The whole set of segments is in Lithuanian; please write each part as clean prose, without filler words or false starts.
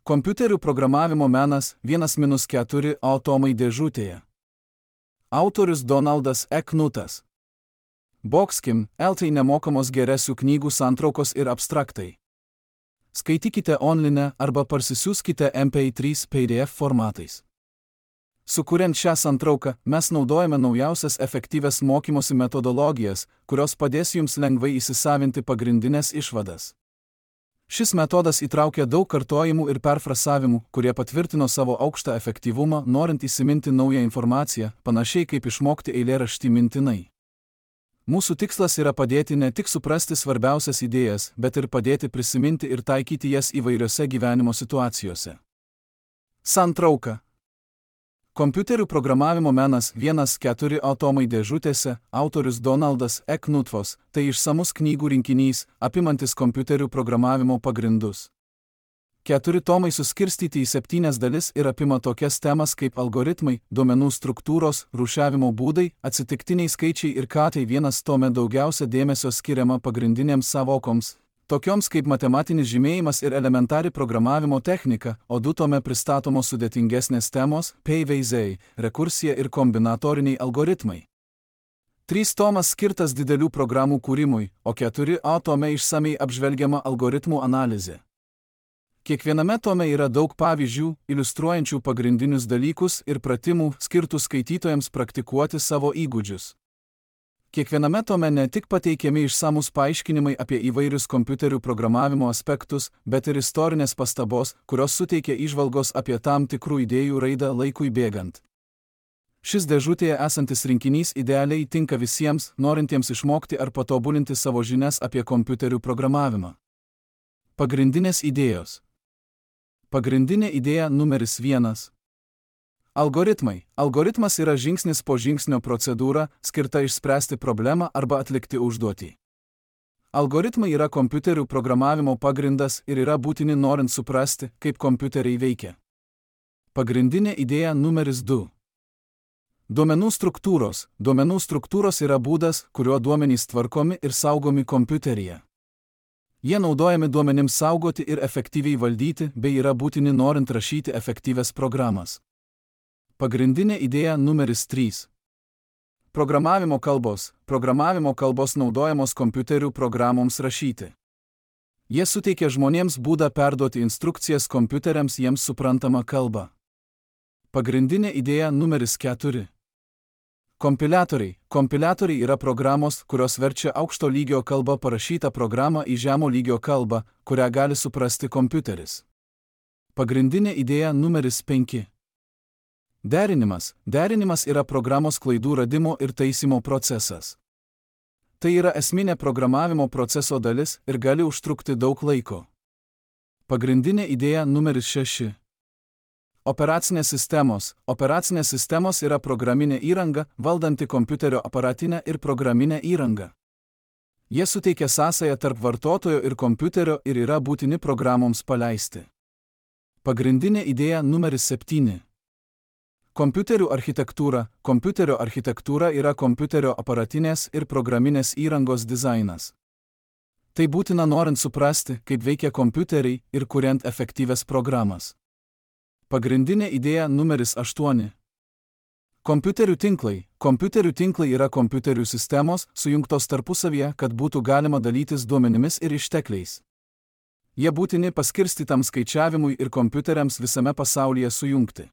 Kompiuterių programavimo menas 1-4 atomai dėžutėje. Autorius Donaldas E. Knutas. Boxkim, LT nemokamos geresių knygų santraukos ir abstraktai. Skaitykite online arba parsisiųskite MP3 PDF formatais. Sukuriant šią santrauką, mes naudojame naujausias efektyvias mokymosi metodologijas, kurios padės jums lengvai įsisavinti pagrindinės išvadas. Šis metodas įtraukia daug kartojimų ir perfrasavimų, kurie patvirtino savo aukštą efektyvumą, norint įsiminti naują informaciją, panašiai kaip išmokti eilėraštį mintinai. Mūsų tikslas yra padėti ne tik suprasti svarbiausias idėjas, bet ir padėti prisiminti ir taikyti jas įvairiose gyvenimo situacijose. Santrauka. Kompiuterių programavimo menas 1-4 atomai dėžutėse, autorius Donaldas E. Knutas, tai išsamus knygų rinkinys, apimantis kompiuterių programavimo pagrindus. 4 tomai suskirstyti į 7 dalis ir apima tokias temas kaip algoritmai, duomenų struktūros, rūšiavimo būdai, atsitiktiniai skaičiai ir tai 1 tome daugiausia dėmesio skiriama pagrindinėms savokoms, tokioms kaip matematinis žymėjimas ir elementari programavimo technika, o 2 tome pristatomos sudėtingesnės temos, PVZ, rekursija ir kombinatoriniai algoritmai. 3 tomas skirtas didelių programų kūrimui, o 4 tome išsamei apžvelgiama algoritmų analizė. Kiekviename tome yra daug pavyzdžių, iliustruojančių pagrindinius dalykus ir pratimų, skirtų skaitytojams praktikuoti savo įgūdžius. Kiekviename tome ne tik pateikiami išsamus paaiškinimai apie įvairius kompiuterių programavimo aspektus, bet ir istorinės pastabos, kurios suteikia įžvalgos apie tam tikrų idėjų raidą laikui bėgant. Šis dėžutėje esantis rinkinys idealiai tinka visiems, norintiems išmokti ar patobulinti savo žinias apie kompiuterių programavimą. Pagrindinės idėjos. Pagrindinė idėja numeris 1. Algoritmai. Algoritmas yra žingsnis po žingsnio procedūra, skirta išspręsti problemą arba atlikti užduotį. Algoritmai yra kompiuterių programavimo pagrindas ir yra būtini norint suprasti, kaip kompiuteriai veikia. Pagrindinė idėja numeris 2. Duomenų struktūros. Duomenų struktūros yra būdas, kuriuo duomenys tvarkomi ir saugomi kompiuteryje. Jie naudojami duomenims saugoti ir efektyviai valdyti, bei yra būtini norint rašyti efektyvias programas. Pagrindinė idėja numeris 3. Programavimo kalbos. Programavimo kalbos naudojamos kompiuterių programoms rašyti. Jie suteikia žmonėms būdą perduoti instrukcijas kompiuteriams jiems suprantamą kalbą. Pagrindinė idėja numeris 4. Kompiliatoriai. Kompiliatoriai yra programos, kurios verčia aukšto lygio kalbą parašytą programą į žemo lygio kalbą, kurią gali suprasti kompiuteris. Pagrindinė idėja numeris 5. Derinimas. Derinimas yra programos klaidų radimo ir taisymo procesas. Tai yra esminė programavimo proceso dalis ir gali užtrukti daug laiko. Pagrindinė idėja numeris 6. Operacinės sistemos. Operacinės sistemos yra programinė įranga, valdanti kompiuterio aparatinę ir programinę įrangą. Jie suteikia sąsają tarp vartotojo ir kompiuterio ir yra būtini programoms paleisti. Pagrindinė idėja numeris 7. Kompiuterių architektūra. Kompiuterio architektūra yra kompiuterio aparatinės ir programinės įrangos dizainas. Tai būtina norint suprasti, kaip veikia kompiuteriai ir kuriant efektyvias programas. Pagrindinė idėja numeris 8. Kompiuterių tinklai. Kompiuterių tinklai yra kompiuterių sistemos, sujungtos tarpusavyje, kad būtų galima dalytis duomenimis ir ištekliais. Jie būtini paskirstytam skaičiavimui ir kompiuteriams visame pasaulyje sujungti.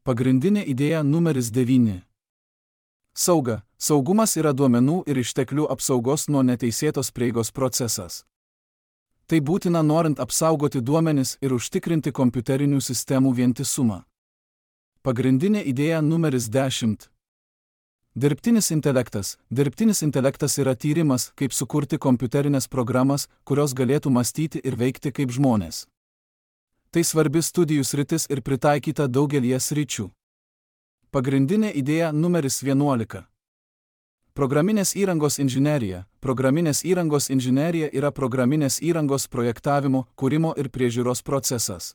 Pagrindinė idėja numeris 9. Sauga. Saugumas yra duomenų ir išteklių apsaugos nuo neteisėtos prieigos procesas. Tai būtina norint apsaugoti duomenis ir užtikrinti kompiuterinių sistemų vientisumą. Pagrindinė idėja numeris 10. Dirbtinis intelektas. Dirbtinis intelektas yra tyrimas, kaip sukurti kompiuterinės programas, kurios galėtų mąstyti ir veikti kaip žmonės. Tai svarbi studijų sritis ir pritaikyta daugelie sričių. Pagrindinė idėja numeris 11. Programinės įrangos inžinerija. Programinės įrangos inžinerija yra programinės įrangos projektavimo, kūrimo ir priežiūros procesas.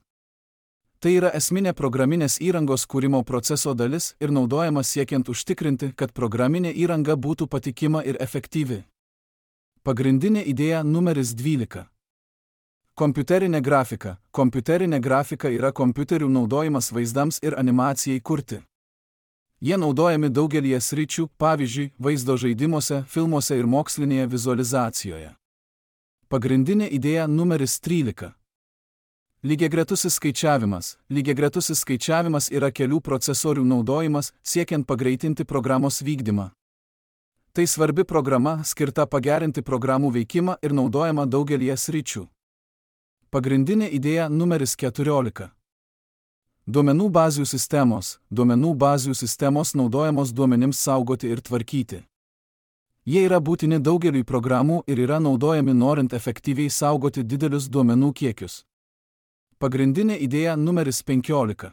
Tai yra esminė programinės įrangos kūrimo proceso dalis ir naudojama siekiant užtikrinti, kad programinė įranga būtų patikima ir efektyvi. Pagrindinė idėja numeris 12. Kompiuterinė grafika. Kompiuterinė grafika yra kompiuterių naudojimas vaizdams ir animacijai kurti. Jie naudojami daugelyje sričių, pavyzdžiui, vaizdo žaidimuose, filmuose ir mokslinėje vizualizacijoje. Pagrindinė idėja numeris 13. Lygiagretusis skaičiavimas. Lygiagretusis skaičiavimas yra kelių procesorių naudojimas, siekiant pagreitinti programos vykdymą. Tai svarbi programa, skirta pagerinti programų veikimą ir naudojama daugelyje sričių. Pagrindinė idėja numeris 14. Duomenų bazių sistemos. Duomenų bazių sistemos naudojamos duomenims saugoti ir tvarkyti. Jie yra būtini daugeliui programų ir yra naudojami norint efektyviai saugoti didelius duomenų kiekius. Pagrindinė idėja numeris 15.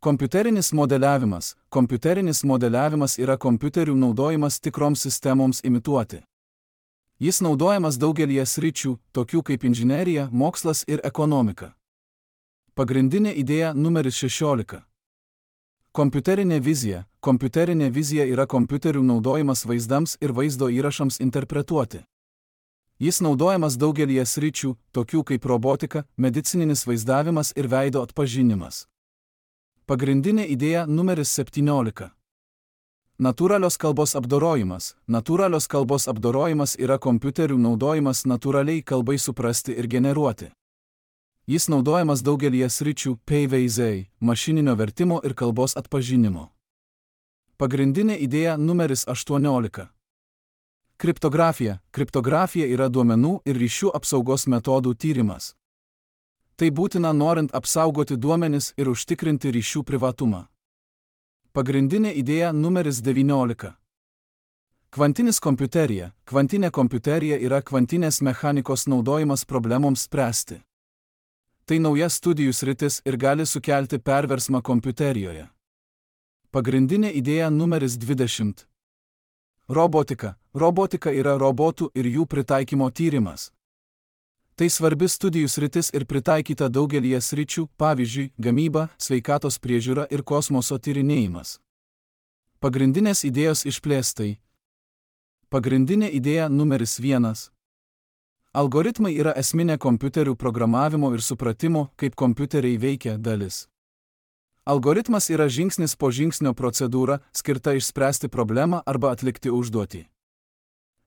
Kompiuterinis modeliavimas. Kompiuterinis modeliavimas yra kompiuterių naudojimas tikroms sistemoms imituoti. Jis naudojamas daugelyje sričių, tokių kaip inžinerija, mokslas ir ekonomika. Pagrindinė idėja numeris 16. Kompiuterinė vizija. Kompiuterinė vizija yra kompiuterių naudojimas vaizdams ir vaizdo įrašams interpretuoti. Jis naudojamas daugelyje sričių, tokių kaip robotika, medicininis vaizdavimas ir veido atpažinimas. Pagrindinė idėja numeris 17. Natūralios kalbos apdorojimas. Natūralios kalbos apdorojimas yra kompiuterių naudojimas natūraliai kalbai suprasti ir generuoti. Jis naudojamas daugelyje sričių, PVZ, mašininio vertimo ir kalbos atpažinimo. Pagrindinė idėja numeris 18. Kriptografija. Kriptografija yra duomenų ir ryšių apsaugos metodų tyrimas. Tai būtina norint apsaugoti duomenis ir užtikrinti ryšių privatumą. Pagrindinė idėja numeris 19. Kvantinis kompiuterija. Kvantinė kompiuterija yra kvantinės mechanikos naudojimas problemoms spręsti. Tai nauja studijų sritis ir gali sukelti perversmą kompiuterijoje. Pagrindinė idėja numeris 20. Robotika. Robotika yra robotų ir jų pritaikymo tyrimas. Tai svarbi studijų sritis ir pritaikyta daugelyje sričių, pavyzdžiui, gamyba, sveikatos priežiūra ir kosmoso tyrinėjimas. Pagrindinės idėjos išplėstai. Pagrindinė idėja numeris 1. Algoritmai yra esminė kompiuterių programavimo ir supratimo, kaip kompiuteriai veikia dalis. Algoritmas yra žingsnis po žingsnio procedūra, skirta išspręsti problemą arba atlikti užduotį.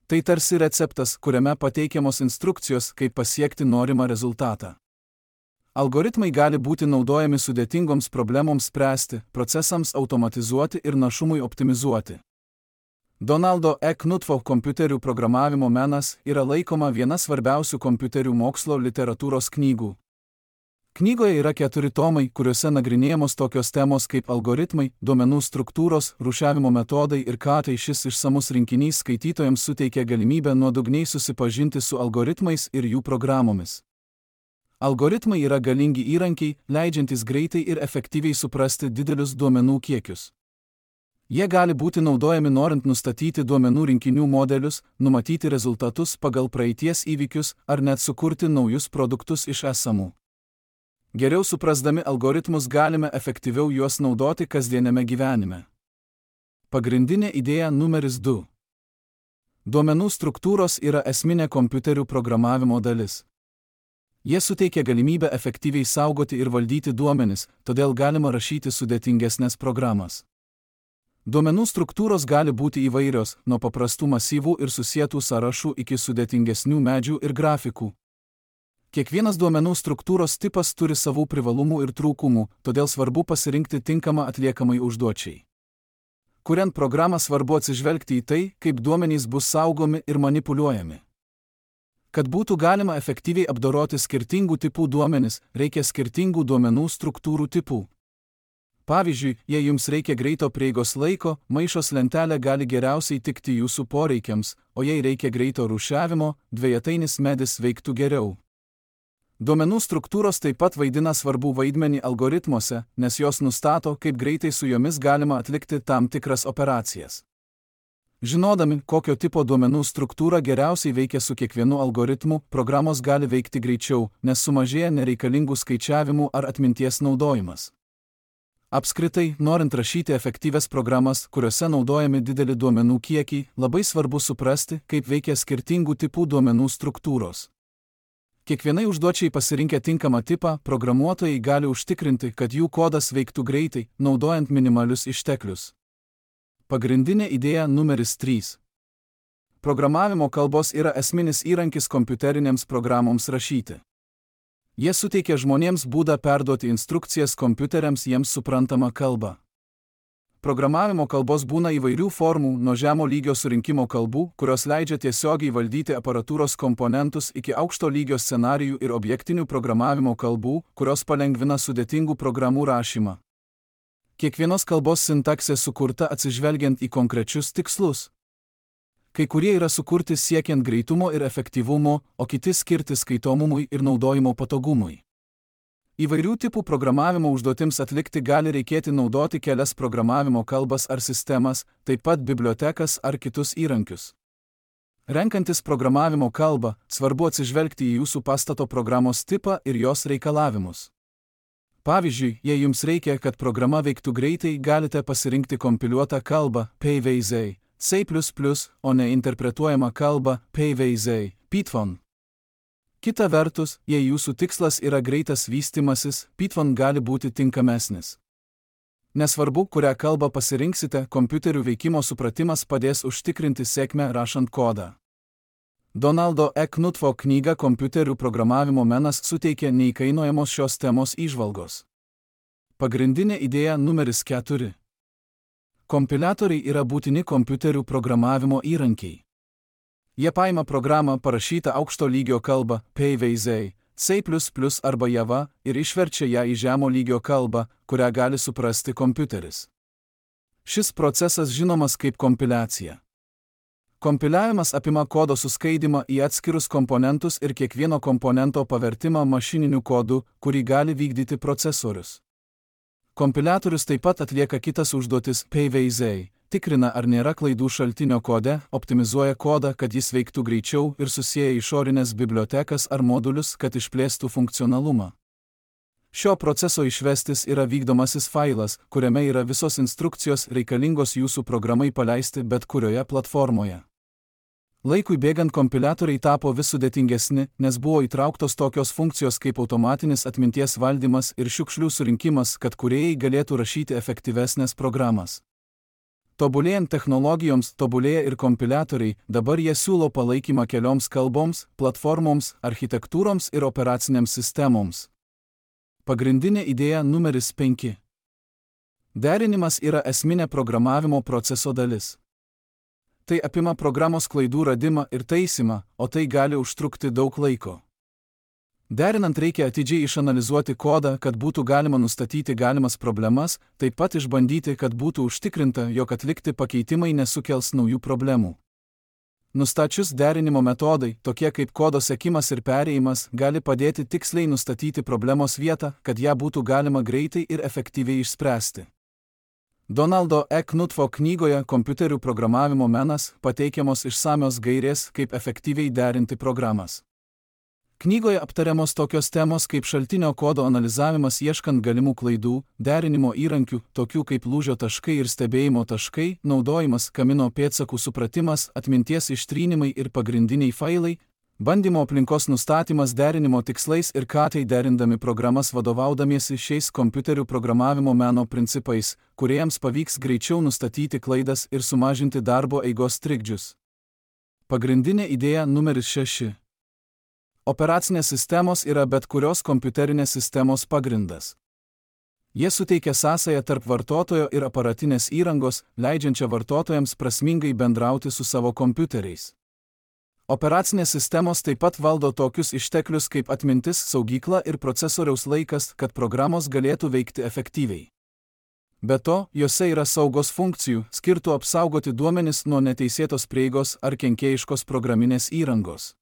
Tai tarsi receptas, kuriame pateikiamos instrukcijos, kaip pasiekti norimą rezultatą. Algoritmai gali būti naudojami sudėtingoms problemoms spręsti, procesams automatizuoti ir našumui optimizuoti. Donaldo E. Knutfo kompiuterių programavimo menas yra laikoma viena svarbiausių kompiuterių mokslo literatūros knygų. Knygoje yra 4 tomai, kuriuose nagrinėjamos tokios temos kaip algoritmai, duomenų struktūros, rūšiavimo metodai ir ką tai šis išsamus rinkinys skaitytojams suteikia galimybę nuodugniai susipažinti su algoritmais ir jų programomis. Algoritmai yra galingi įrankiai, leidžiantys greitai ir efektyviai suprasti didelius duomenų kiekius. Jie gali būti naudojami norint nustatyti duomenų rinkinių modelius, numatyti rezultatus pagal praeities įvykius ar net sukurti naujus produktus iš esamų. Geriau suprasdami algoritmus galime efektyviau juos naudoti kasdieniame gyvenime. Pagrindinė idėja numeris 2. Duomenų struktūros yra esminė kompiuterių programavimo dalis. Jie suteikia galimybę efektyviai saugoti ir valdyti duomenis, todėl galima rašyti sudėtingesnės programas. Duomenų struktūros gali būti įvairios, nuo paprastų masyvų ir susietų sąrašų iki sudėtingesnių medžių ir grafikų. Kiekvienas duomenų struktūros tipas turi savų privalumų ir trūkumų, todėl svarbu pasirinkti tinkamą atliekamai užduočiai. Kuriant programą svarbu atsižvelgti į tai, kaip duomenys bus saugomi ir manipuliuojami. Kad būtų galima efektyviai apdoroti skirtingų tipų duomenis, reikia skirtingų duomenų struktūrų tipų. Pavyzdžiui, jei jums reikia greito prieigos laiko, maišos lentelė gali geriausiai tikti jūsų poreikiams, o jei reikia greito rūšiavimo, dvejatainis medis veiktų geriau. Duomenų struktūros taip pat vaidina svarbų vaidmenį algoritmuose, nes jos nustato, kaip greitai su jomis galima atlikti tam tikras operacijas. Žinodami, kokio tipo duomenų struktūra geriausiai veikia su kiekvienu algoritmu, programos gali veikti greičiau, nes sumažėja nereikalingų skaičiavimų ar atminties naudojimas. Apskritai, norint rašyti efektyvias programas, kuriuose naudojami dideli duomenų kiekiai, labai svarbu suprasti, kaip veikia skirtingų tipų duomenų struktūros. Kiekvienai užduočiai pasirinkę tinkamą tipą, programuotojai gali užtikrinti, kad jų kodas veiktų greitai, naudojant minimalius išteklius. Pagrindinė idėja numeris 3. Programavimo kalbos yra esminis įrankis kompiuterinėms programoms rašyti. Jie suteikia žmonėms būdą perduoti instrukcijas kompiuteriams jiems suprantamą kalbą. Programavimo kalbos būna įvairių formų, nuo žemo lygio surinkimo kalbų, kurios leidžia tiesiogiai valdyti aparatūros komponentus, iki aukšto lygio scenarijų ir objektinių programavimo kalbų, kurios palengvina sudėtingų programų rašymą. Kiekvienos kalbos sintaksė sukurta atsižvelgiant į konkrečius tikslus. Kai kurie yra sukurti siekiant greitumo ir efektyvumo, o kiti skirti skaitomumui ir naudojimo patogumui. Įvairių tipų programavimo užduotims atlikti gali reikėti naudoti kelias programavimo kalbas ar sistemas, taip pat bibliotekas ar kitus įrankius. Renkantis programavimo kalbą, svarbu atsižvelgti į jūsų pastato programos tipą ir jos reikalavimus. Pavyzdžiui, jei jums reikia, kad programa veiktų greitai, galite pasirinkti kompiliuotą kalbą PyVZ, C++, o ne interpretuojamą kalbą PyVZ, Python. Kita vertus, jei jūsų tikslas yra greitas vystymasis, Python gali būti tinkamesnis. Nesvarbu, kurią kalbą pasirinksite, kompiuterių veikimo supratimas padės užtikrinti sėkmę rašant kodą. Donaldo E. Knutvo knyga Kompiuterių programavimo menas suteikia neįkainojamos šios temos įžvalgos. Pagrindinė idėja numeris 4. Kompiliatoriai yra būtini kompiuterių programavimo įrankiai. Jie paima programą parašytą aukšto lygio kalbą PyVZ, C++ arba Java ir išverčia ją į žemo lygio kalbą, kurią gali suprasti kompiuteris. Šis procesas žinomas kaip kompiliacija. Kompiliavimas apima kodo suskaidymą į atskirus komponentus ir kiekvieno komponento pavertimą mašininiu kodu, kurį gali vykdyti procesorius. Kompiliatorius taip pat atlieka kitas užduotis PyVZ, tikrina, ar nėra klaidų šaltinio kode, optimizuoja kodą, kad jis veiktų greičiau ir susieja išorinės bibliotekas ar modulius, kad išplėstų funkcionalumą. Šio proceso išvestis yra vykdomasis failas, kuriame yra visos instrukcijos reikalingos jūsų programai paleisti bet kurioje platformoje. Laikui bėgant kompiliatoriai tapo vis sudėtingesni, nes buvo įtrauktos tokios funkcijos kaip automatinis atminties valdymas ir šiukšlių surinkimas, kad kūrėjai galėtų rašyti efektyvesnės programas. Tobulėjant technologijoms, tobulėja ir kompiliatoriai, dabar jie siūlo palaikymą kelioms kalboms, platformoms, architektūroms ir operacinėms sistemoms. Pagrindinė idėja numeris 5. Derinimas yra esminė programavimo proceso dalis. Tai apima programos klaidų radimą ir taisymą, o tai gali užtrukti daug laiko. Derinant reikia atidžiai išanalizuoti kodą, kad būtų galima nustatyti galimas problemas, taip pat išbandyti, kad būtų užtikrinta, jog atlikti pakeitimai nesukels naujų problemų. Nustačius derinimo metodai, tokie kaip kodo sekimas ir perėjimas, gali padėti tiksliai nustatyti problemos vietą, kad ją būtų galima greitai ir efektyviai išspręsti. Donaldo E. Knutvo knygoje Kompiuterių programavimo menas pateikiamos išsamios gairės, kaip efektyviai derinti programas. Knygoje aptariamos tokios temos kaip šaltinio kodo analizavimas ieškant galimų klaidų, derinimo įrankių, tokių kaip lūžio taškai ir stebėjimo taškai, naudojimas, kamino pėdsakų supratimas, atminties ištrynimai ir pagrindiniai failai, bandymo aplinkos nustatymas derinimo tikslais ir katai derindami programas vadovaudamiesi šiais kompiuterių programavimo meno principais, kuriems pavyks greičiau nustatyti klaidas ir sumažinti darbo eigos trikdžius. Pagrindinė idėja numeris 6. Operacinės sistemos yra bet kurios kompiuterinės sistemos pagrindas. Jie suteikia sąsają tarp vartotojo ir aparatinės įrangos, leidžiančią vartotojams prasmingai bendrauti su savo kompiuteriais. Operacinės sistemos taip pat valdo tokius išteklius kaip atmintis, saugykla ir procesoriaus laikas, kad programos galėtų veikti efektyviai. Be to, jose yra saugos funkcijų, skirtų apsaugoti duomenis nuo neteisėtos prieigos ar kenkėjiškos programinės įrangos.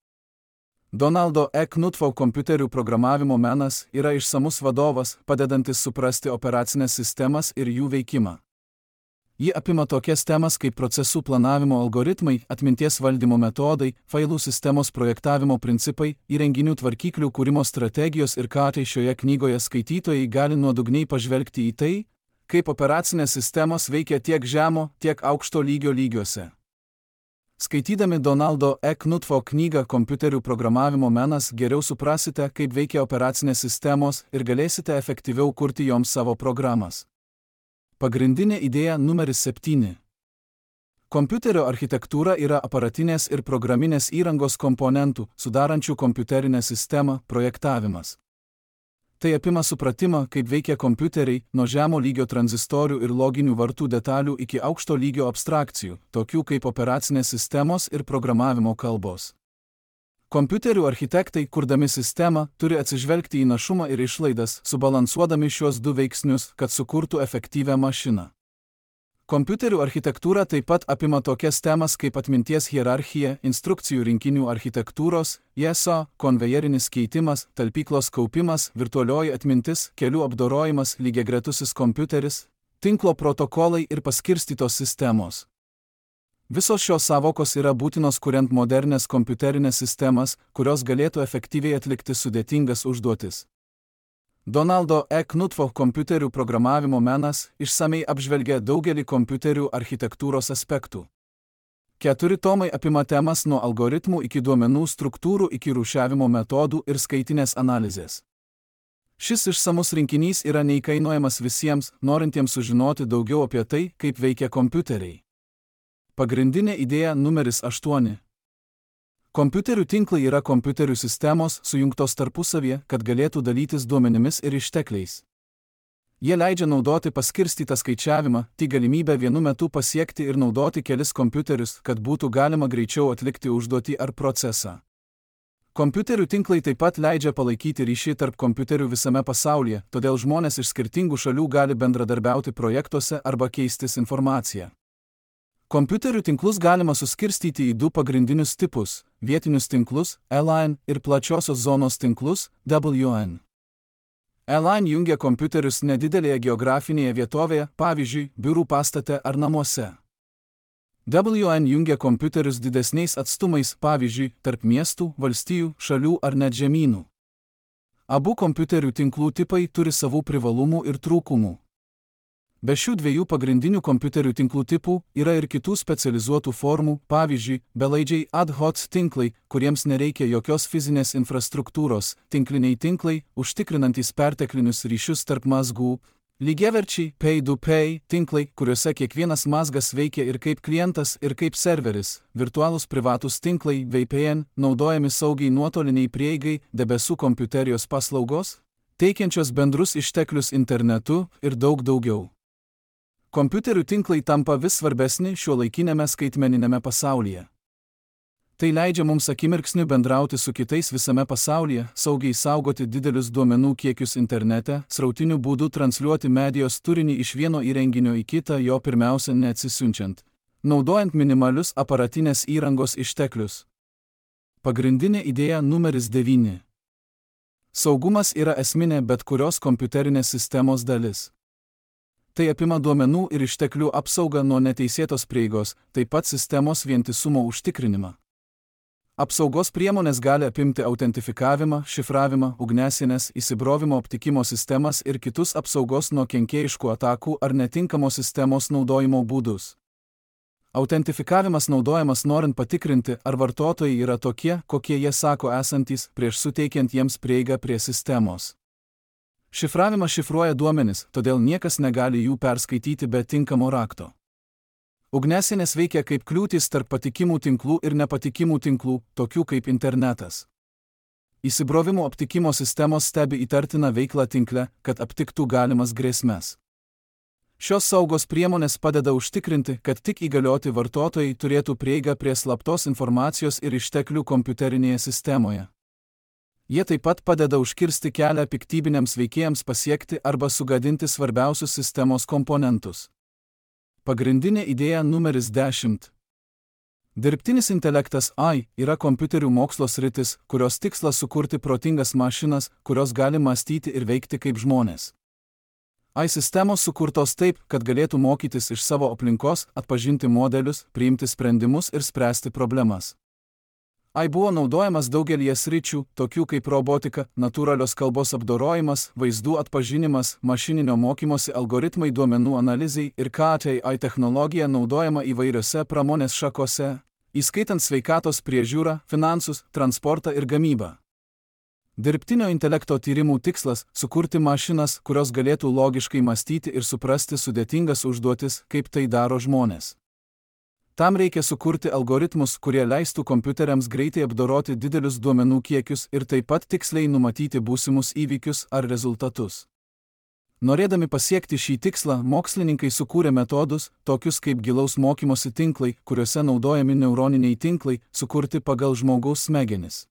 Donaldo E. Knutvo kompiuterių programavimo menas yra išsamus vadovas, padedantis suprasti operacinės sistemas ir jų veikimą. Ji apima tokias temas kaip procesų planavimo algoritmai, atminties valdymo metodai, failų sistemos projektavimo principai, įrenginių tvarkyklių kūrimo strategijos ir katai šioje knygoje skaitytojai gali nuodugniai pažvelgti į tai, kaip operacinės sistemos veikia tiek žemo, tiek aukšto lygio lygiuose. Skaitydami Donaldo E. Knutfo knygą Kompiuterių programavimo menas geriau suprasite, kaip veikia operacinės sistemos ir galėsite efektyviau kurti joms savo programas. Pagrindinė idėja numeris 7. Kompiuterio architektūra yra aparatinės ir programinės įrangos komponentų, sudarančių kompiuterinę sistemą, projektavimas. Tai apima supratimą, kaip veikia kompiuteriai, nuo žemo lygio tranzistorių ir loginių vartų detalių iki aukšto lygio abstrakcijų, tokių kaip operacinės sistemos ir programavimo kalbos. Kompiuterių architektai, kurdami sistemą, turi atsižvelgti į našumą ir išlaidas, subalansuodami šiuos du veiksnius, kad sukurtų efektyvią mašiną. Kompiuterių architektūra taip pat apima tokias temas kaip atminties hierarchija, instrukcijų rinkinių architektūros, ISO, konvejerinis keitimas, talpyklos kaupimas, virtualioji atmintis, kelių apdorojimas, lygiagretusis kompiuteris, tinklo protokolai ir paskirstytos sistemos. Visos šios sąvokos yra būtinos kuriant modernes kompiuterinės sistemas, kurios galėtų efektyviai atlikti sudėtingas užduotis. Donaldo E. Knutfo kompiuterių programavimo menas išsamei apžvelgia daugelį kompiuterių architektūros aspektų. 4 tomai apima temas nuo algoritmų iki duomenų struktūrų iki rūšiavimo metodų ir skaitinės analizės. Šis išsamus rinkinys yra neįkainojamas visiems, norintiems sužinoti daugiau apie tai, kaip veikia kompiuteriai. Pagrindinė idėja numeris 8. Kompiuterių tinklai yra kompiuterių sistemos sujungtos tarpusavyje, kad galėtų dalytis duomenimis ir ištekliais. Jie leidžia naudoti paskirstytą skaičiavimą, tai galimybę vienu metu pasiekti ir naudoti kelis kompiuterius, kad būtų galima greičiau atlikti užduotį ar procesą. Kompiuterių tinklai taip pat leidžia palaikyti ryšį tarp kompiuterių visame pasaulyje, todėl žmonės iš skirtingų šalių gali bendradarbiauti projektuose arba keistis informaciją. Kompiuterių tinklus galima suskirstyti į 2 pagrindinius tipus – vietinius tinklus, LAN ir plačiosios zonos tinklus, WAN. LAN jungia kompiuterius nedidelėje geografinėje vietovėje, pavyzdžiui, biurų pastate ar namuose. WAN jungia kompiuterius didesniais atstumais, pavyzdžiui, tarp miestų, valstijų, šalių ar net žemynų. Abu kompiuterių tinklų tipai turi savų privalumų ir trūkumų. Be šių 2 pagrindinių kompiuterių tinklų tipų yra ir kitų specializuotų formų, pavyzdžiui, belaidžiai ad hoc tinklai, kuriems nereikia jokios fizinės infrastruktūros, tinkliniai tinklai, užtikrinantys perteklinius ryšius tarp mazgų, lygiaverčiai pay-to-pay tinklai, kuriuose kiekvienas mazgas veikia ir kaip klientas, ir kaip serveris, virtualūs privatūs tinklai VPN, naudojami saugiai nuotoliniai prieigai, debesų kompiuterijos paslaugos, teikiančios bendrus išteklius internetu ir daug daugiau. Kompiuterių tinklai tampa vis svarbesni šiuolaikinėme skaitmeniniame pasaulyje. Tai leidžia mums akimirksniu bendrauti su kitais visame pasaulyje, saugiai saugoti didelius duomenų kiekius internete, srautiniu būdu transliuoti medijos turinį iš vieno įrenginio į kitą, jo pirmiausia neatsisiunčiant, naudojant minimalius aparatinės įrangos išteklius. Pagrindinė idėja numeris 9. Saugumas yra esminė bet kurios kompiuterinės sistemos dalis. Tai apima duomenų ir išteklių apsaugą nuo neteisėtos prieigos, taip pat sistemos vientisumo užtikrinimą. Apsaugos priemonės gali apimti autentifikavimą, šifravimą, ugniasienes, įsibrovimo aptikimo sistemas ir kitus apsaugos nuo kenkėjiškų atakų ar netinkamos sistemos naudojimo būdus. Autentifikavimas naudojamas norint patikrinti, ar vartotojai yra tokie, kokie jie sako esantys, prieš suteikiant jiems prieigą prie sistemos. Šifravimas šifruoja duomenis, todėl niekas negali jų perskaityti be tinkamo rakto. Ugniasienės veikia kaip kliūtis tarp patikimų tinklų ir nepatikimų tinklų, tokių kaip internetas. Įsibrovimo aptikimo sistemos stebi įtartiną veiklą tinkle, kad aptiktų galimas grėsmes. Šios saugos priemonės padeda užtikrinti, kad tik įgalioti vartotojai turėtų prieigą prie slaptos informacijos ir išteklių kompiuterinėje sistemoje. Jie taip pat padeda užkirsti kelią piktybiniams veikėjams pasiekti arba sugadinti svarbiausius sistemos komponentus. Pagrindinė idėja numeris 10. Dirbtinis intelektas AI yra kompiuterių mokslo sritis, kurios tikslas sukurti protingas mašinas, kurios gali mąstyti ir veikti kaip žmonės. AI sistemos sukurtos taip, kad galėtų mokytis iš savo aplinkos, atpažinti modelius, priimti sprendimus ir spręsti problemas. AI buvo naudojamas daugelyje sričių, tokių kaip robotika, natūralios kalbos apdorojimas, vaizdų atpažinimas, mašininio mokymosi algoritmai duomenų analizai ir KAT AI technologija naudojama įvairiose pramonės šakose įskaitant sveikatos priežiūrą, finansus, transportą ir gamybą. Dirbtinio intelekto tyrimų tikslas – sukurti mašinas, kurios galėtų logiškai mąstyti ir suprasti sudėtingas užduotis, kaip tai daro žmonės. Tam reikia sukurti algoritmus, kurie leistų kompiuteriams greitai apdoroti didelius duomenų kiekius ir taip pat tiksliai numatyti būsimus įvykius ar rezultatus. Norėdami pasiekti šį tikslą, mokslininkai sukūrė metodus, tokius kaip gilaus mokymosi tinklai, kuriuose naudojami neuroniniai tinklai, sukurti pagal žmogaus smegenis.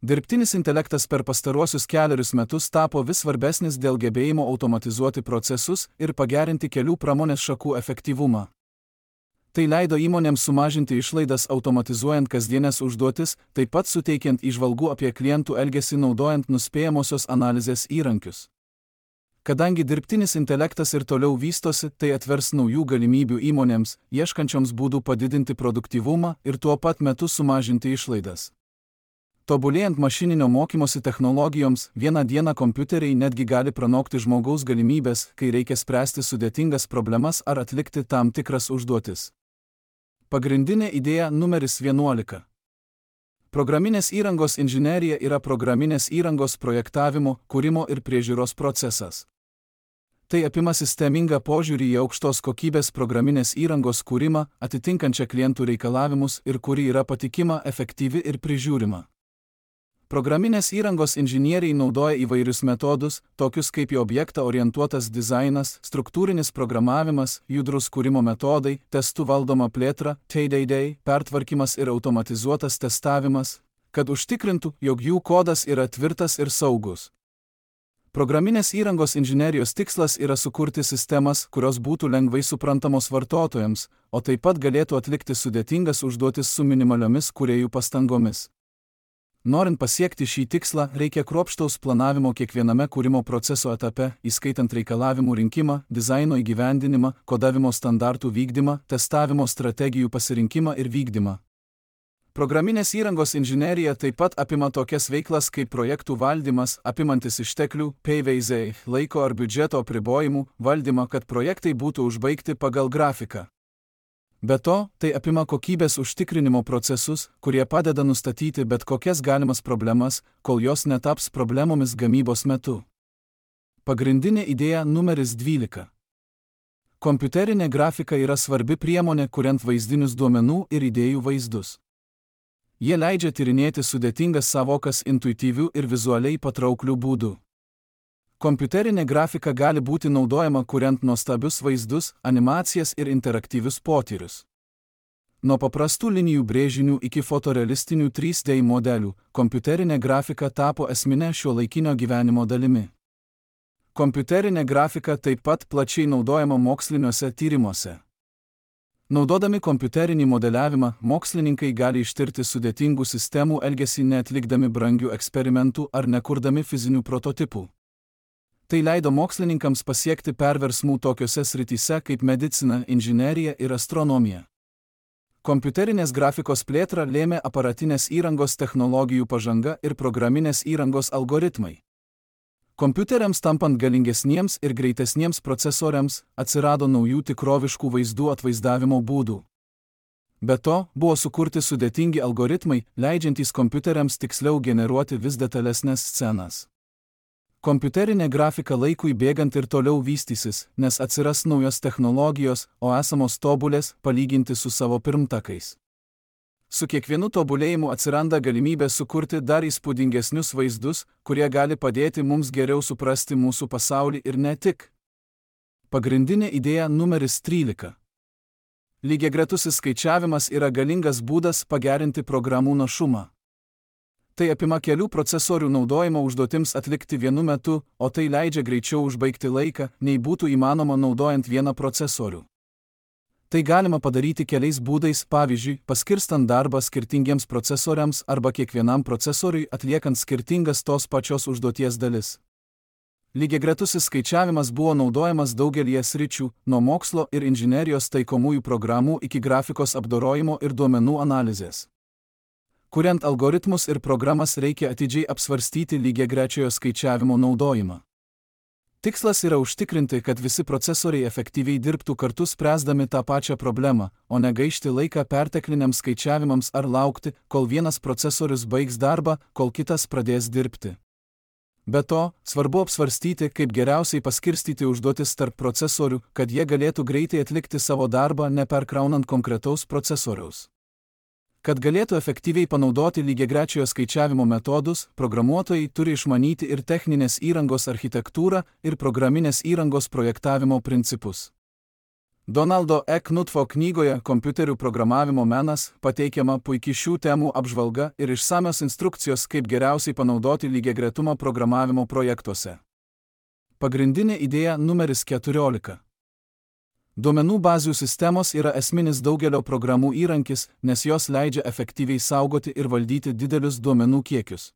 Dirbtinis intelektas per pastaruosius 4 metus tapo vis svarbesnis dėl gebėjimo automatizuoti procesus ir pagerinti kelių pramonės šakų efektyvumą. Tai leido įmonėms sumažinti išlaidas automatizuojant kasdienės užduotis, taip pat suteikiant įžvalgų apie klientų elgesį naudojant nuspėjamosios analizės įrankius. Kadangi dirbtinis intelektas ir toliau vystosi, tai atvers naujų galimybių įmonėms, ieškančioms būdų padidinti produktyvumą ir tuo pat metu sumažinti išlaidas. Tobulėjant mašininio mokymosi technologijoms, vieną dieną kompiuteriai netgi gali pranokti žmogaus galimybės, kai reikia spręsti sudėtingas problemas ar atlikti tam tikras užduotis. Pagrindinė idėja numeris 11. Programinės įrangos inžinerija yra programinės įrangos projektavimo, kūrimo ir priežiūros procesas. Tai apima sistemingą požiūrį į aukštos kokybės programinės įrangos kūrimą, atitinkančią klientų reikalavimus ir kuri yra patikima, efektyvi ir prižiūrima. Programinės įrangos inžinieriai naudoja įvairius metodus, tokius kaip į objektą orientuotas dizainas, struktūrinis programavimas, judrus kūrimo metodai, testų valdoma plėtra, TDD, pertvarkymas ir automatizuotas testavimas, kad užtikrintų, jog jų kodas yra tvirtas ir saugus. Programinės įrangos inžinerijos tikslas yra sukurti sistemas, kurios būtų lengvai suprantamos vartotojams, o taip pat galėtų atlikti sudėtingas užduotis su minimaliomis kūrėjų pastangomis. Norint pasiekti šį tikslą, reikia kruopštaus planavimo kiekviename kūrimo proceso etape, įskaitant reikalavimų rinkimą, dizaino įgyvendinimą, kodavimo standartų vykdymą, testavimo strategijų pasirinkimą ir vykdymą. Programinės įrangos inžinerija taip pat apima tokias veiklas kaip projektų valdymas, apimantis išteklių, PVZ, laiko ar biudžeto apribojimų, valdymą, kad projektai būtų užbaigti pagal grafiką. Be to, tai apima kokybės užtikrinimo procesus, kurie padeda nustatyti bet kokias galimas problemas, kol jos netaps problemomis gamybos metu. Pagrindinė idėja numeris 12. Kompiuterinė grafika yra svarbi priemonė, kuriant vaizdinius duomenų ir idėjų vaizdus. Jie leidžia tyrinėti sudėtingas sąvokas intuityvių ir vizualiai patrauklių būdų. Kompiuterinė grafika gali būti naudojama kuriant nuostabius vaizdus, animacijas ir interaktyvius potyrius. Nuo paprastų linijų brėžinių iki fotorealistinių 3D modelių, kompiuterinė grafika tapo esmine šiuolaikinio gyvenimo dalimi. Kompiuterinė grafika taip pat plačiai naudojama moksliniuose tyrimuose. Naudodami kompiuterinį modeliavimą, mokslininkai gali ištirti sudėtingų sistemų elgesį neatlikdami brangių eksperimentų ar nekurdami fizinių prototipų. Tai leido mokslininkams pasiekti perversmų tokiose srityse kaip medicina, inžinerija ir astronomija. Kompiuterinės grafikos plėtrą lėmė aparatinės įrangos technologijų pažanga ir programinės įrangos algoritmai. Kompiuteriams tampant galingesniems ir greitesniems procesoriams, atsirado naujų tikroviškų vaizdų atvaizdavimo būdų. Be to, buvo sukurti sudėtingi algoritmai, leidžiantys kompiuteriams tiksliau generuoti vis detalesnes scenas. Kompiuterinė grafika laikui bėgant ir toliau vystysis, nes atsiras naujos technologijos, o esamos tobulės palyginti su savo pirmtakais. Su kiekvienu tobulėjimu atsiranda galimybė sukurti dar įspūdingesnius vaizdus, kurie gali padėti mums geriau suprasti mūsų pasaulį ir ne tik. Pagrindinė idėja numeris 13. Lygiagretusis skaičiavimas yra galingas būdas pagerinti programų našumą. Tai apima kelių procesorių naudojimo užduotims atlikti vienu metu, o tai leidžia greičiau užbaigti laiką, nei būtų įmanoma naudojant vieną procesorių. Tai galima padaryti keliais būdais, pavyzdžiui, paskirstant darbą skirtingiems procesoriams arba kiekvienam procesoriui atliekant skirtingas tos pačios užduoties dalis. Lygiagretusis skaičiavimas buvo naudojamas daugelyje sričių, nuo mokslo ir inžinerijos taikomųjų programų iki grafikos apdorojimo ir duomenų analizės. Kuriant algoritmus ir programas reikia atidžiai apsvarstyti lygiagrečiojo skaičiavimo naudojimą. Tikslas yra užtikrinti, kad visi procesoriai efektyviai dirbtų kartu spręsdami tą pačią problemą, o ne gaišti laiką pertekliniams skaičiavimams ar laukti, kol vienas procesorius baigs darbą, kol kitas pradės dirbti. Be to, svarbu apsvarstyti, kaip geriausiai paskirstyti užduotis tarp procesorių, kad jie galėtų greitai atlikti savo darbą neperkraunant konkretaus procesoriaus. Kad galėtų efektyviai panaudoti lygiagrečiojo skaičiavimo metodus, programuotojai turi išmanyti ir techninės įrangos architektūrą, ir programinės įrangos projektavimo principus. Donaldo E. Knutfo knygoje Kompiuterių programavimo menas pateikiama puikiai šių temų apžvalga ir išsamios instrukcijos, kaip geriausiai panaudoti lygiagretumą programavimo projektuose. Pagrindinė idėja numeris 14. Duomenų bazių sistemos yra esminis daugelio programų įrankis, nes jos leidžia efektyviai saugoti ir valdyti didelius duomenų kiekius.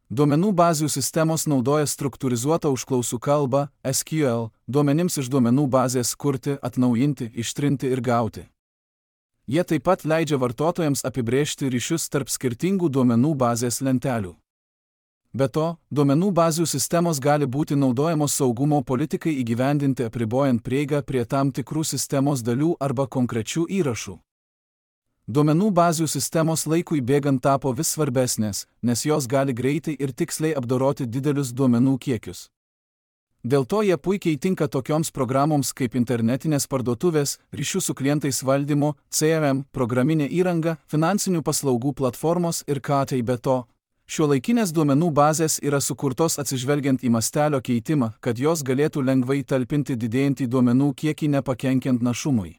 Duomenų bazių sistemos naudoja struktūrizuotą užklausų kalbą, SQL, duomenims iš duomenų bazės kurti, atnaujinti, ištrinti ir gauti. Jie taip pat leidžia vartotojams apibrėžti ryšius tarp skirtingų duomenų bazės lentelių. Be to, duomenų bazių sistemos gali būti naudojamos saugumo politikai įgyvendinti apribojant prieigą prie tam tikrų sistemos dalių arba konkrečių įrašų. Duomenų bazių sistemos laikui bėgant tapo vis svarbesnės, nes jos gali greitai ir tiksliai apdoroti didelius duomenų kiekius. Dėl to jie puikiai tinka tokioms programoms kaip internetinės parduotuvės, ryšių su klientais valdymo, CRM, programinė įranga, finansinių paslaugų platformos ir KT. Be to, šiuolaikinės duomenų bazės yra sukurtos atsižvelgiant į mastelio keitimą, kad jos galėtų lengvai talpinti didėjantį duomenų kiekį nepakenkiant našumui.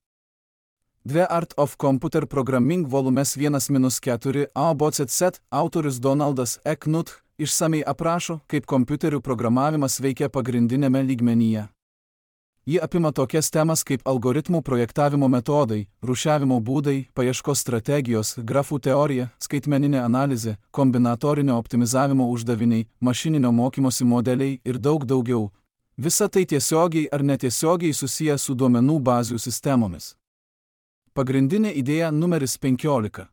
The Art of Computer Programming volumes 1-4 ABCZ autorius Donaldas E. Knuth išsamei aprašo, kaip kompiuterių programavimas veikia pagrindinėme lygmenyje. Ji apima tokias temas kaip algoritmų projektavimo metodai, rūšiavimo būdai, paieškos strategijos, grafų teorija, skaitmeninė analizė, kombinatorinio optimizavimo uždaviniai, mašininio mokymosi modeliai ir daug daugiau. Visa tai tiesiogiai ar netiesiogiai susiję su duomenų bazių sistemomis. Pagrindinė idėja numeris 15.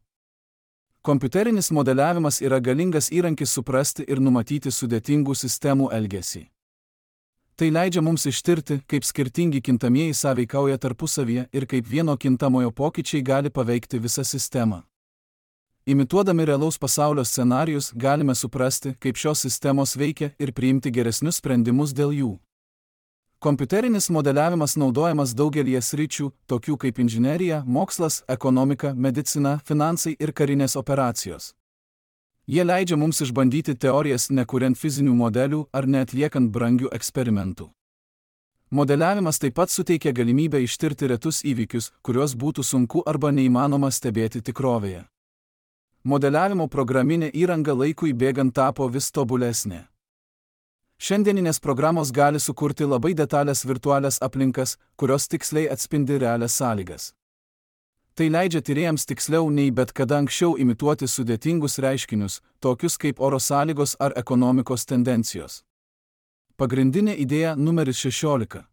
Kompiuterinis modeliavimas yra galingas įrankis suprasti ir numatyti sudėtingų sistemų elgesį. Tai leidžia mums ištirti, kaip skirtingi kintamieji sąveikauja tarpusavyje ir kaip vieno kintamojo pokyčiai gali paveikti visą sistemą. Imituodami realaus pasaulio scenarijus galime suprasti, kaip šios sistemos veikia ir priimti geresnius sprendimus dėl jų. Kompiuterinis modeliavimas naudojamas daugelyje sričių, tokių kaip inžinerija, mokslas, ekonomika, medicina, finansai ir karinės operacijos. Jie leidžia mums išbandyti teorijas nekuriant fizinių modelių ar neatliekant brangių eksperimentų. Modeliavimas taip pat suteikia galimybę ištirti retus įvykius, kuriuos būtų sunku arba neįmanoma stebėti tikrovėje. Modeliavimo programinė įranga laikui bėgant tapo vis tobulesnė. Šiandieninės programos gali sukurti labai detalės virtualias aplinkas, kurios tiksliai atspindi realias sąlygas. Tai leidžia tyrėjams tiksliau nei bet kada anksčiau imituoti sudėtingus reiškinius, tokius kaip oro sąlygos ar ekonomikos tendencijos. Pagrindinė idėja numeris 16.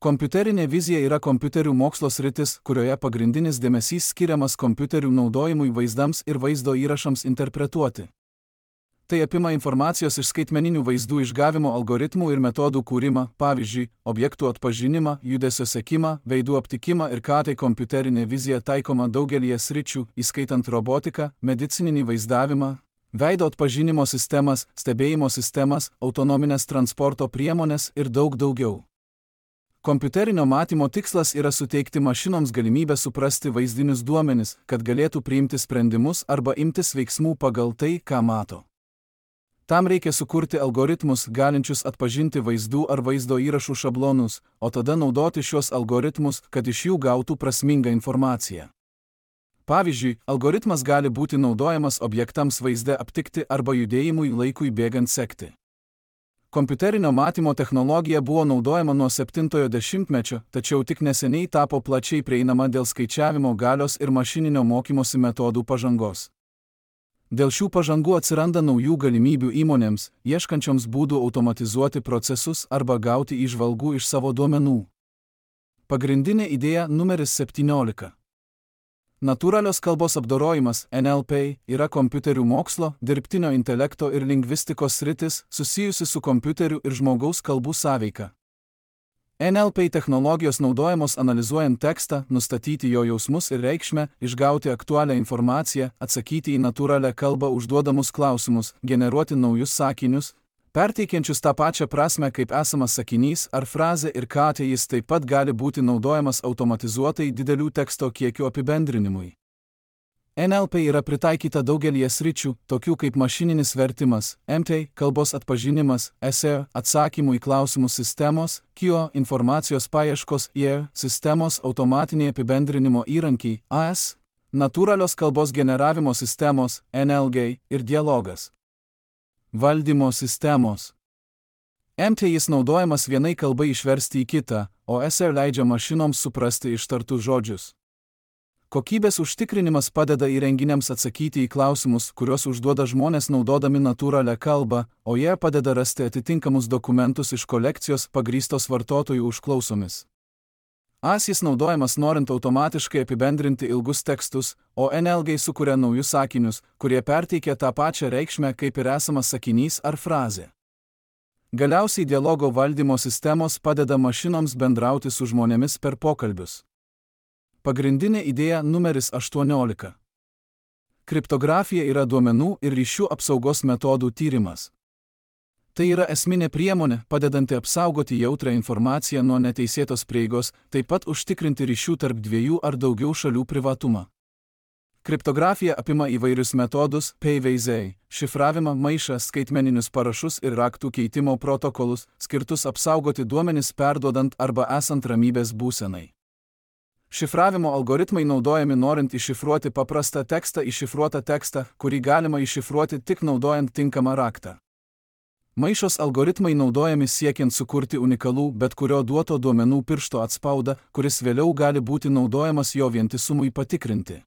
Kompiuterinė vizija yra kompiuterių mokslo sritis, kurioje pagrindinis dėmesys skiriamas kompiuterių naudojimui vaizdams ir vaizdo įrašams interpretuoti. Tai apima informacijos iš skaitmeninių vaizdų išgavimo algoritmų ir metodų kūrimą, pavyzdžiui, objektų atpažinimą, judesio sekimą, veidų aptikimą ir KT kompiuterinė vizija taikoma daugelyje sričių, įskaitant robotiką, medicininį vaizdavimą, veido atpažinimo sistemas, stebėjimo sistemas, autonominės transporto priemonės ir daug daugiau. Kompiuterinio matymo tikslas yra suteikti mašinoms galimybę suprasti vaizdinius duomenis, kad galėtų priimti sprendimus arba imtis veiksmų pagal tai, ką mato. Tam reikia sukurti algoritmus, galinčius atpažinti vaizdų ar vaizdo įrašų šablonus, o tada naudoti šios algoritmus, kad iš jų gautų prasmingą informaciją. Pavyzdžiui, algoritmas gali būti naudojamas objektams vaizde aptikti arba judėjimui laikui bėgant sekti. Kompiuterinio matymo technologija buvo naudojama nuo 70-ojo dešimtmečio, tačiau tik neseniai tapo plačiai prieinama dėl skaičiavimo galios ir mašininio mokymosi metodų pažangos. Dėl šių pažangų atsiranda naujų galimybių įmonėms, ieškančioms būdų automatizuoti procesus arba gauti įžvalgų iš savo duomenų. Pagrindinė idėja numeris 17. Natūralios kalbos apdorojimas (NLP) yra kompiuterių mokslo, dirbtinio intelekto ir lingvistikos sritis susijusi su kompiuterių ir žmogaus kalbų sąveika. NLP technologijos naudojamos analizuojant tekstą, nustatyti jo jausmus ir reikšmę, išgauti aktualią informaciją, atsakyti į natūralią kalbą užduodamus klausimus, generuoti naujus sakinius, perteikiančius tą pačią prasmę kaip esamas sakinys ar frazė ir kad jis taip pat gali būti naudojamas automatizuotai didelių teksto kiekių apibendrinimui. NLP yra pritaikyta daugelį sričių, tokių kaip mašininis vertimas, MT, kalbos atpažinimas, SEO, atsakymų į klausimus sistemos, KIO, informacijos paieškos, IE, sistemos automatiniai apibendrinimo įrankiai, AS, natūralios kalbos generavimo sistemos, NLG ir dialogas. Valdymo sistemos. MT jis naudojamas vienai kalbai išversti į kitą, o SEO leidžia mašinoms suprasti ištartus žodžius. Kokybės užtikrinimas padeda įrenginiams atsakyti į klausimus, kuriuos užduoda žmonės naudodami natūralią kalbą, o jie padeda rasti atitinkamus dokumentus iš kolekcijos pagrįstos vartotojų užklausomis. AS jis naudojamas norint automatiškai apibendrinti ilgus tekstus, o NLG sukuria naujus sakinius, kurie perteikia tą pačią reikšmę kaip ir esamas sakinys ar frazė. Galiausiai dialogo valdymo sistemos padeda mašinoms bendrauti su žmonėmis per pokalbius. Pagrindinė idėja numeris 18. Kriptografija yra duomenų ir ryšių apsaugos metodų tyrimas. Tai yra esminė priemonė, padedanti apsaugoti jautrią informaciją nuo neteisėtos prieigos, taip pat užtikrinti ryšių tarp dviejų ar daugiau šalių privatumą. Kriptografija apima įvairius metodus, PVZ, šifravimą, maišą, skaitmeninius parašus ir raktų keitimo protokolus, skirtus apsaugoti duomenis perduodant arba esant ramybės būsenai. Šifravimo algoritmai naudojami norint iššifruoti paprastą tekstą į šifruotą tekstą, kurį galima iššifruoti tik naudojant tinkamą raktą. Maišos algoritmai naudojami siekiant sukurti unikalų bet kurio duoto duomenų piršto atspaudą, kuris vėliau gali būti naudojamas jo vientisumui patikrinti.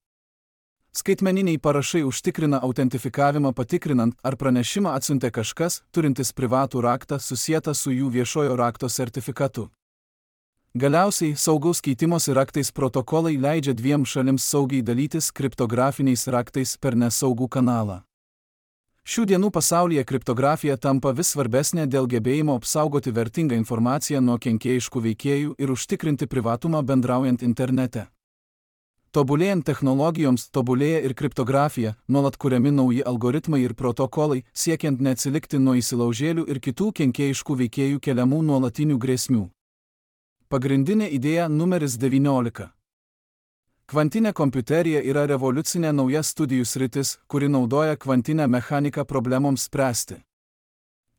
Skaitmeniniai parašai užtikrina autentifikavimą patikrinant, ar pranešimą atsiuntė kažkas, turintis privatų raktą susietą su jų viešojo rakto sertifikatu. Galiausiai, saugaus keitimosi raktais protokolai leidžia dviem šalims saugiai dalytis kriptografiniais raktais per nesaugų kanalą. Šių dienų pasaulyje kriptografija tampa vis svarbesnė dėl gebėjimo apsaugoti vertingą informaciją nuo kenkėjiškų veikėjų ir užtikrinti privatumą bendraujant internete. Tobulėjant technologijoms, tobulėja ir kriptografija, nuolat kuriami nauji algoritmai ir protokolai, siekiant neatsilikti nuo įsilaužėlių ir kitų kenkėjiškų veikėjų keliamų nuolatinių grėsmių. Pagrindinė idėja numeris 19. Kvantinė kompiuterija yra revoliucinė nauja studijų sritis, kuri naudoja kvantinę mechaniką problemoms spręsti.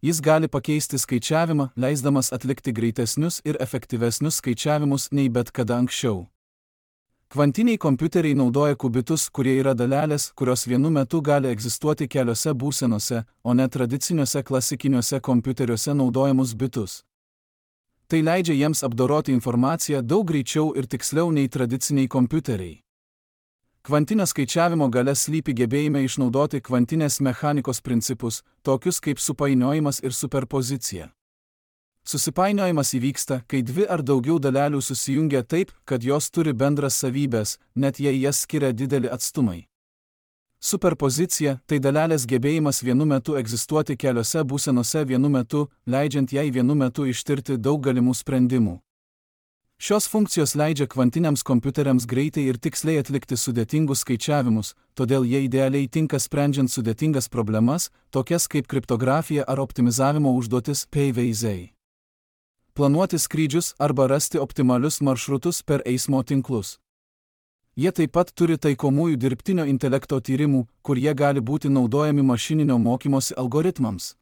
Jis gali pakeisti skaičiavimą, leisdamas atlikti greitesnius ir efektyvesnius skaičiavimus nei bet kada anksčiau. Kvantiniai kompiuteriai naudoja kubitus, kurie yra dalelės, kurios vienu metu gali egzistuoti keliose būsenose, o ne tradiciniuose klasikiniuose kompiuteriuose naudojamus bitus. Tai leidžia jiems apdoroti informaciją daug greičiau ir tiksliau nei tradiciniai kompiuteriai. Kvantinio skaičiavimo galia slypi gebėjime išnaudoti kvantinės mechanikos principus, tokius kaip supainiojimas ir superpozicija. Susipainiojimas įvyksta, kai dvi ar daugiau dalelių susijungia taip, kad jos turi bendras savybės, net jei jas skiria dideli atstumai. Superpozicija – tai dalelės gebėjimas vienu metu egzistuoti keliose būsenose vienu metu, leidžiant jai vienu metu ištirti daug galimų sprendimų. Šios funkcijos leidžia kvantiniams kompiuteriams greitai ir tiksliai atlikti sudėtingus skaičiavimus, todėl jie idealiai tinka sprendžiant sudėtingas problemas, tokias kaip kriptografija ar optimizavimo užduotis PVZ. Planuoti skrydžius arba rasti optimalius maršrutus per eismo tinklus. Jie taip pat turi taikomųjų dirbtinio intelekto tyrimų, kur jie gali būti naudojami mašininio mokymosi algoritmams.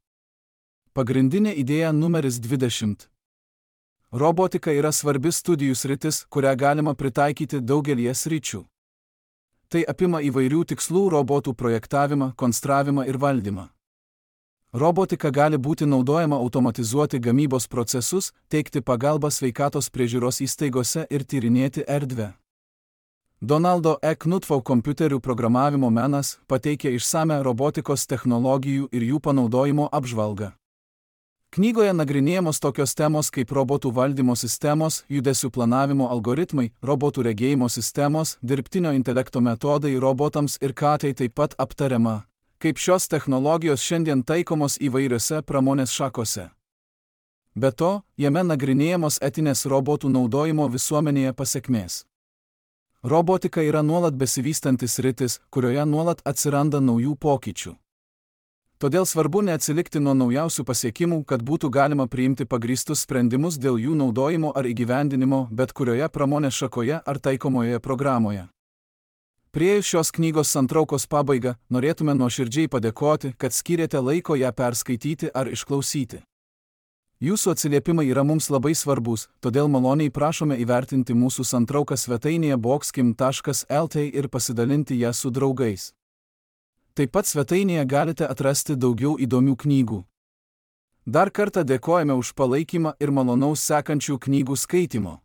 Pagrindinė idėja numeris 20. Robotika yra svarbi studijų sritis, kurią galima pritaikyti daugelyje sričių. Tai apima įvairių tikslų robotų projektavimą, konstravimą ir valdymą. Robotika gali būti naudojama automatizuoti gamybos procesus, teikti pagalbą sveikatos priežiūros įstaigose ir tyrinėti erdvę. Donaldo E. Knudfo kompiuterių programavimo menas pateikia išsamią robotikos technologijų ir jų panaudojimo apžvalgą. Knygoje nagrinėjamos tokios temos kaip robotų valdymo sistemos, judesių planavimo algoritmai, robotų regėjimo sistemos, dirbtinio intelekto metodai robotams ir tai taip pat aptariama, kaip šios technologijos šiandien taikomos įvairiose pramonės šakose. Be to, jame nagrinėjamos etinės robotų naudojimo visuomenėje pasekmės. Robotika yra nuolat besivystantis sritis, kurioje nuolat atsiranda naujų pokyčių. Todėl svarbu neatsilikti nuo naujausių pasiekimų, kad būtų galima priimti pagrįstus sprendimus dėl jų naudojimo ar įgyvendinimo bet kurioje pramonės šakoje ar taikomoje programoje. Priėjus šios knygos santraukos pabaigą, norėtume nuoširdžiai padėkoti, kad skyrėte laiko ją perskaityti ar išklausyti. Jūsų atsiliepimai yra mums labai svarbus, todėl maloniai prašome įvertinti mūsų santrauką svetainėje boxkim.lt ir pasidalinti ją su draugais. Taip pat svetainėje galite atrasti daugiau įdomių knygų. Dar kartą dėkojame už palaikymą ir malonaus sekančių knygų skaitimo.